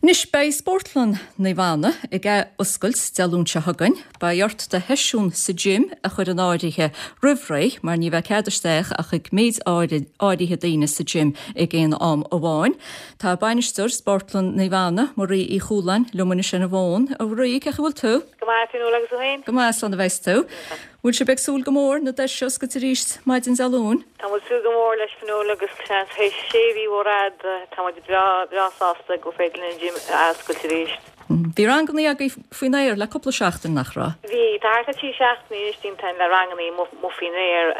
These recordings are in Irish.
Anois, beidh Spórtlann Naomh Anna ag ath-oscailt Dé Luain seo chugainn. Beidh ort do sheisiún sa gym a chur in áirithe roimh ré mar ní bheidh cead isteach ach ag méid áirithe daoine sa gym ag aon am amháin. Tá bainisteoir Spórtlann Naomh Anna, Marie Uí Chualáin, liom anois ar an bhfón. A Mharie, cén chaoi a bhfuil tú? Go maith, Fionnuala, agus tú féin? Go maith, slán a bheas tú. Bhfuil sibh ag súil go mór na doirse a oscailt arís maidin Dé Luain? Tá muid ag súil go mór leis, Fionnuala, agus seans théis sé mhí mhór fhada, tá muid breá, breá sásta gur féidir linn an gym a oscailt arís. Bhí rangannaí agaibh faoin aer le cúpla seachtain, nach raibh? Bhí. Tá thart ar 3 seachtainí anois déanta againn le rangannaí amuigh faoin aer.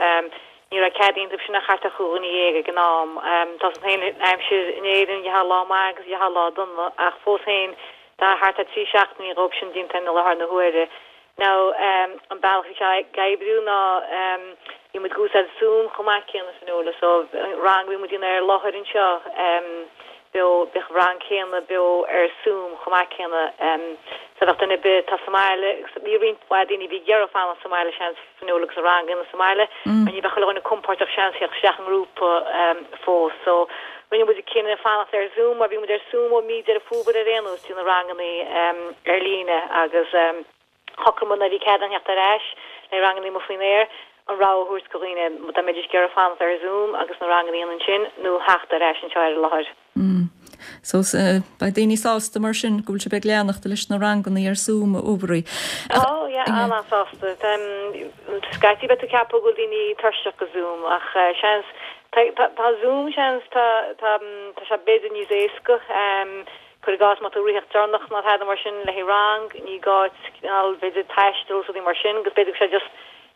Ní raibh cead iontu sin ach thart ar chúig dhuine dhéag ag an am. Tá a fhios agat féin an aimsir in Éirinn, gheofá lá maith agus gheofá lá dona, ach fós féin tá thart ar 3 seachtainí dhóibh sin déanta againn i láthair na huaire. Now an bealach bhí sé ag oibriú ná bhí muid ag úsáid Zoom chomh maith céanna Fionnuala so rang a bhí muid ag déanamh ar láthair anseo beo bheadh an rang céanna beo ar Zoom chomh maith céanna so bheadh duine ar bith atá sa mbaile agus bhí roinnt mhaith daoine a bhí ag iarraidh fanacht sa mbaile seans Fionnuala agus an rang a dhéanamh sa mbaile mar ní bheadh chuile dhuine compordach seans theacht isteach i ngrúpa fós so rinne muid an cinneadh fanacht ar Zoom mar bhí muid ar Zoom ó mí Deireadh Fómhair ar aon nós déanamh rangannaí ar líne agus shocraigh muid nuair a bhí cead againn theacht ar ais le rangannaí amuigh faoin aer an rogha a thabhairt go dhaoine dá mbeidís ag iarraidh fanacht ar Zoom agus na rangannaí a dhéanamh ansin nó theacht ar ais anseo ar an láthair. So beidh daoine sásta mar sin go bhfuil sibh ag leanacht leis na rangannaí ar Zoom a Mharie. Tá, yeah, an-an-sásta. Scaití beidh tú ag ceapadh go bhfuil daoine tuirseach go Zoom ach seans, tá Zoom seans, tá tá sé b'fhéidir níos éasca. Cuir i gcás má tá tú ag ritheacht deireanach nó tada mar sin le haghaidh rang, ní gá duit cineál b'fhéidir taisteal is rudaí mar sin agus b'fhéidir go bhfuil sé just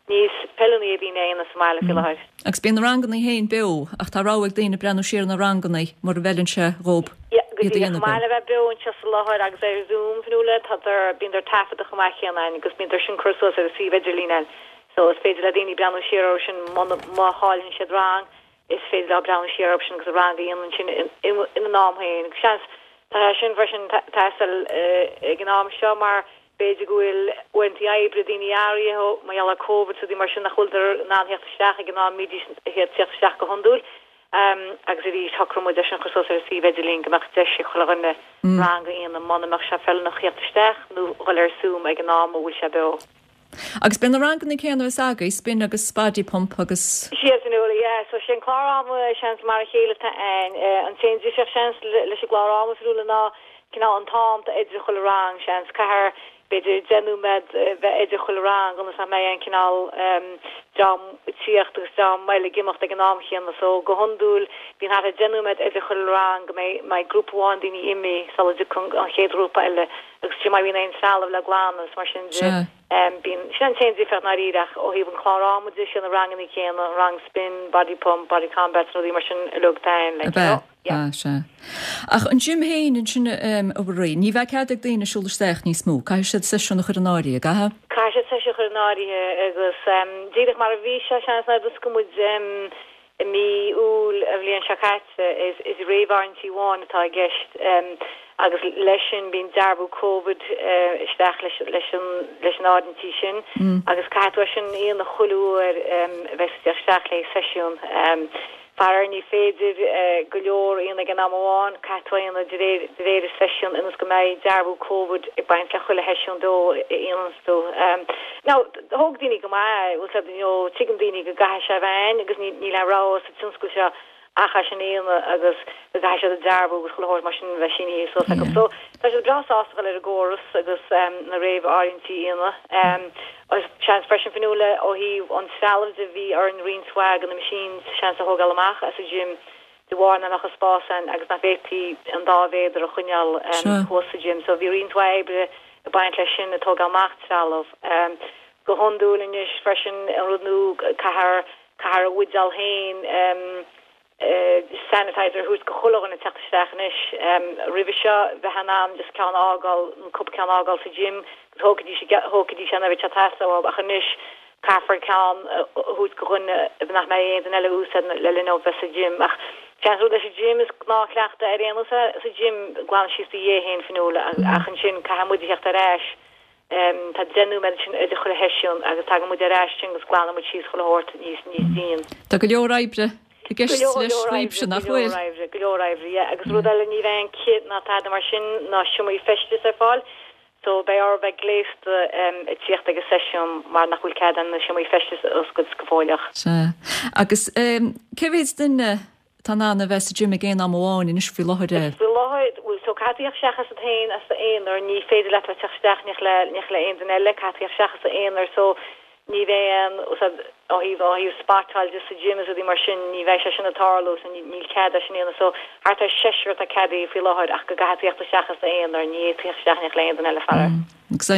níos feiliúnaí do dhaoine a dhéanamh sa mbaile faoi láthair. Agus bíonn na rangannaí féin beo ach tá rogha ag daoine breathnú siar ar na rangannaí mura bhfeileann sé dhób Yeah, go iad a díreach. dhéanamh Chomh maith beo. le bheith beo anseo sa láthair agus ar Zoom, Fionnuala, tádar, bíondar taifeadta chomh maith céanna againn agus bíondar sin curtha suas ar an suíomh idirlín againn. So is féidir le daoine breathnú siar orthu sin muna, má chailleann siad rang, is féidir leo breathnú siar orthu sin agus an rang a dhéanamh ansin ina n-am féin. Agus seans, tá sé sin freisin ag teastáil ag an am seo mar b'fhéidir go bhfuil uaireanta oibre daoine athraithe mar gheall ar Covid is rudaí mar sin nach bhfuileadar in ann theacht isteach ag an am a mbídís ag teacht isteach go hiondúil. Agus arís shocraigh muid é sin a chur suas ar an suíomh idirlín go mbeadh deis ag chuile dhuine rang a dhéanamh muna mbeadh sé feiliúnach theacht isteach nó dhul ar Zoom ag an am a bhfuil sé beo. Agus beidh na ranganna céanna a bheas agaibh, spin agus body pump agus. Sea, Fionnuala, yeah. So sé an clár ama seans mar a chéile atá ann. An t-aon difríocht seans leis an gclár ama, Fionnuala, ná cineál an t-am atá idir chuile rang, seans. Caithfear b'fhéidir 10 nóiméad bheith idir chuile rang ionas nach mbeidh aon cineál dream ag tíocht agus dream eile ag imeacht ag an am chéanna. So go hiondúil bíonn thart ar 10 nóiméad idir chuile rang go mbeidh grúpa amháin daoine imithe sula dtiocfaidh an chéad ghrúpa eile. Agus fiú má bhíonn aon trealamh le glanadh is mar sin de, bíonn, sin an t-aon difríocht i ndáiríre ach ó thaobh an clár ama de, sé na rangannaí céanna, an rang spin, body pump, body combat, rudaí mar sin uilig atá ann, like, you know, yeah. Ab ea, sea. Ach an gym féin ansin, a Mharie, ní bheidh cead ag daoine siúl isteach níos mó, caithfidh siad seisiún a chur in áirithe, an gcaithfidh? Caithfidh siad seisiún a chur in áirithe agus díreach mar a bhí sé, seans, nuair a d'oscail muid, I mí Iúil an bhliain seo caite, is réamh-áirithintí amháin atá i gceist agus leis sin bíonn dearbhú Covid isteach leis an áirithintí sin agus caithfidh tú é sin a dhéanamh chuile uair a bheas tú ag teacht isteach le seisiún. Faraor ní féidir go leor a dhéanamh ag an am amháin, caithfidh tú é a dhéanamh de réir de réir an seisiún ionas go mbeidh dearbhú Covid ag baint le chuile sheisiún dó a dhéananns tú. Now, thóg daoine go maith é, bhfuil 's a'd, you know, tuigeann daoine go gcaithfidh sé a bheith ann agus níl aon rogha sa tionscal seo ach é sin a dhéanamh agus go gcaithfidh siad an dearbhú agus chuile shórt mar sin a bheith sínithe suas acu. So, tá siad breá sásta dhul ar an gcóras agus na réamh-áirithintí a dhéanamh. Agus seans freisin, Fionnuala, ó thaobh an trealaimh de, bhí orainn roinnt mhaith de na machines seans a thógáil amach as an gym de bharr nach mbeadh an spás ann agus nach bhféadfaí an dá mhéadar a choinneáil thuas sa gym. So bhí roinnt mhaith oibre ag baint leis sin, ag tógáil amach trealamh. Go hiondúil anois freisin, an rud nua, caithfear, caithfear a bhuidéal féin sanitizer a thabhairt go chuile dhuine ag teacht isteach anois. Roimhe seo, bheifeá in ann just ceann a fhágáil, nó cúpla ceann a fhágáil sa gym agus thógfaidís, thógfaidís é nuair a bheadh sé ag teastáil uathu ach anois caithfear ceann a thabhairt go dhuine nach mbeidh aon duine eile a úsáid le linn dóibh bheith sa gym. Ach seans rud leis an gym is gnáthchleachtadh ar aon nós é sa gym, glanadh síos do dhiaidh féin, Fionnuala, ach ansin caithfidh muid a theacht ar ais. Tá 10 nóiméad ansin idir chuile sheisiún agus tagann muid ar ais ansin agus glanann muid síos chuile shórt níos, níos dian. Tá go leor oibre. I gceist leis dhaoibhse, nach bhfuil? Go leor oibre, go leor oibre, yeah. Agus rud eile, ní bheidh aon cith ná tada mar sin, ná seomraí feistis ar fáil. So beidh oraibh bheith gléasta ag tíocht ag an seisiún mar nach bhfuil cead na seomraí feistis a oscailt go fóilleach. Sea. Agus cé mhéad duine atá in ann a bheith sa gym ag aon am amháin anois faoi láthair? Faoi láthair, bhuel, so caithfidh tú theacht isteach asat féin, as d'aonar, ní féidir leat bheith teacht isteach in éineacht le aon duine eile, caithfidh tú theacht isteach as d'aonar, so Ní bheidh aon, úsáid ó thaobh, ó thaobh spotáil de sa gym is rudaí mar sin, ní bheidh sé sin ag tarlú so níl cead é sin a dhéanamh. So thart ar seisear atá ceadaithe faoi láthair ach go gcaithfidh tú theacht isteach as d'aonar, ní fhéadfaí theacht isteach in éineacht le aon duine eile faraor. Agus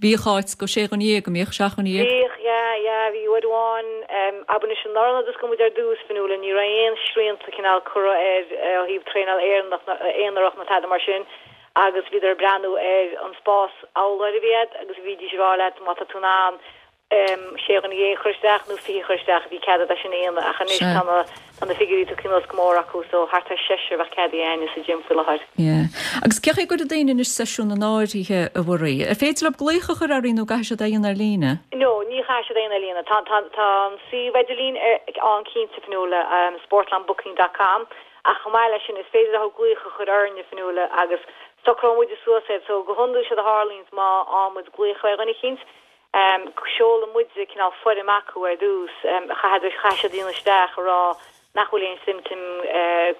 bhíodh áit go sé dhuine dhéag, an mbíodh? Seacht dhuine dhéag? Bhíodh, yeah, yeah, bhí uair amháin, abair anois anuraidh nuair a d'oscail muid ar dtús, Fionnuala, ní raibh aon srianta cineál curtha ar ó thaobh traenáil Éireannach, aonarach nó tada mar sin agus bhíodar ag breathnú ar an spás amhlaidh a bhí agat agus bhídís ag rá leat má tá tú in ann sé dhuine dhéag a chur isteach nó 20 a chur isteach, bhí cead agat é sin a dhéanamh ach anois tá na tá na figiúirí tugtha anuas go mór acu so thart ar seisear a bheadh ceadaithe againne sa gym faoi láthair. Yeah. Agus cé chaoi a gcuirfidh daoine anois seisiún in áirithe, a Mharie? Ar féidir leo glaoch a chur oraibh nó caithfidh siad é a dhéanamh ar líne? No, ní chaithfidh siad é a dhéanamh ar líne. Tá tá tá an suíomh idirlín ann cinnte, Fionnuala, sportlannbooking dot com. Ach chomh maith leis sin, is féidir leo glaoch a chur orainne, a Fionnuala, agus socróidh muide suas iad. So, go hiondúil séard a tharlaíonns má fhaigheann muid glaoch ó dhuine eicínt, seolann muide cineál foirm acu ar dtús, chaithfidh, chaithfidh siad líonadh isteach a rá nach bhfuil aon symptom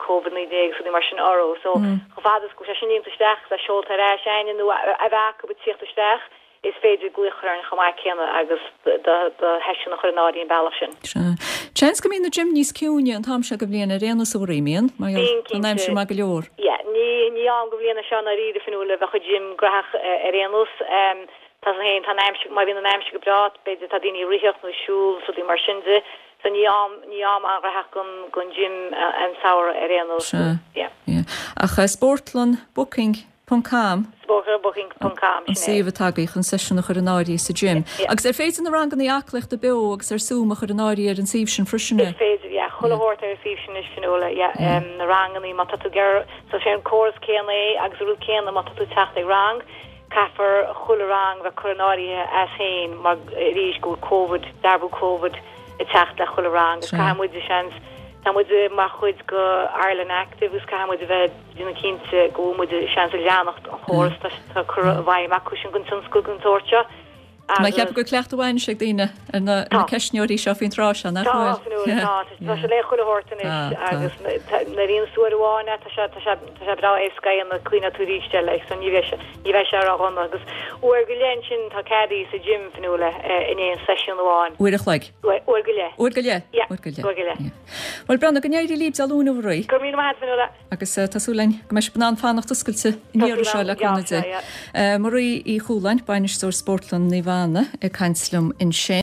Covid 19 is rudaí mar sin orthu. So, chomh fada is go bhfuil sé sin líonta isteach agus é seolta ar ais a'ainne nó a bheith acu ag tíocht isteach, Is féidir glaoch a chur orainn chomh maith céanna agus do sheisiún a chur in áirithe an bealach sin. Sea. Seans go mbíonn na gym níos ciúine an t-am seo de bhliain ar aon nós a Mharie, an mbíonn? Mar gheall tá an aimsir maith go leor. Yeah. Ní, ní am de bhliain é seo i ndáiríre, Fionnuala, a bheadh an gym graitheach ar aon nós. Tá a fhios agat féin, tá an aimsir, má bhíonn an aimsir go breá, b'fhéidir tá daoine ag ritheacht nó ag siúl is rudaí mar sin de. So ní am, ní am an-ghraitheach don, don gym an samhradh ar aon nós. Sea. Yeah. Yeah. Ach Sportlann Booking ponc com. Sportlannbooking ponc com, sin é. An suíomh atá agaibh chun seisiún a chur in áirithe sa gym. Agus ar féidir na ranganna aclaíochta beo agus ar Zoom a chur in áirithe ar an suíomh sin freisin? Is féidir, yeah. Chuile shórt ar an suíomh sin anois, Fionnuala, yeah. Na ranganna, má tá tú ag iarraidh, so sé an córas céanna é agus an rud céanna má tá tú ag teacht ag rang, caithfear chuile rang bheith curtha in áirithe as féin mar arís go bhfuil Covid, dearbhú Covid ag teacht le chuile rang agus caithfidh muid, seans, tá muid mar chuid de Ireland Active agus caithfidh muid a bheith déanamh cinnte go bhfuil muid seans ag leanacht an chóras atá curtha i bhfeidhm acu sin don tionscal den tsórt seo. Tá mé ag ceapadh go bhfuil cleachtadh mhaith anois ag daoine ar na ceistneoirí seo faoin tráth seo, nach bhfuil? Tá, Fionnuala, tá. Tá sé le chuile shórt anois agus nuair a dhéanas tú uair amháin é, tá sé, tá sé, tá sé breá éasca é a dhéanamh, cuimhneoidh tú arís air, like, so ní bheidh sé, ní bheidh sé ró-dhona. Agus uair go leith ansin tá ceadaithe sa gym, Fionnuala, in aon seisiún amháin. Uair a chloig. Uair go leith. Uair go leith? Yeah, uair go leith. Uair go leith. Bhuel, Bronagh, go n-éirí libh Dé Luain, a Mharie. Go raibh míle maith agat, Fionnuala. Agus tá súil againn go mbeidh sibh in ann fanacht oscailte an iarraidh seo le cúnamh Dé. Marie Uí Chualáin, Bainisteoir Spórtlann Naomh Anna ag caint liom ansin.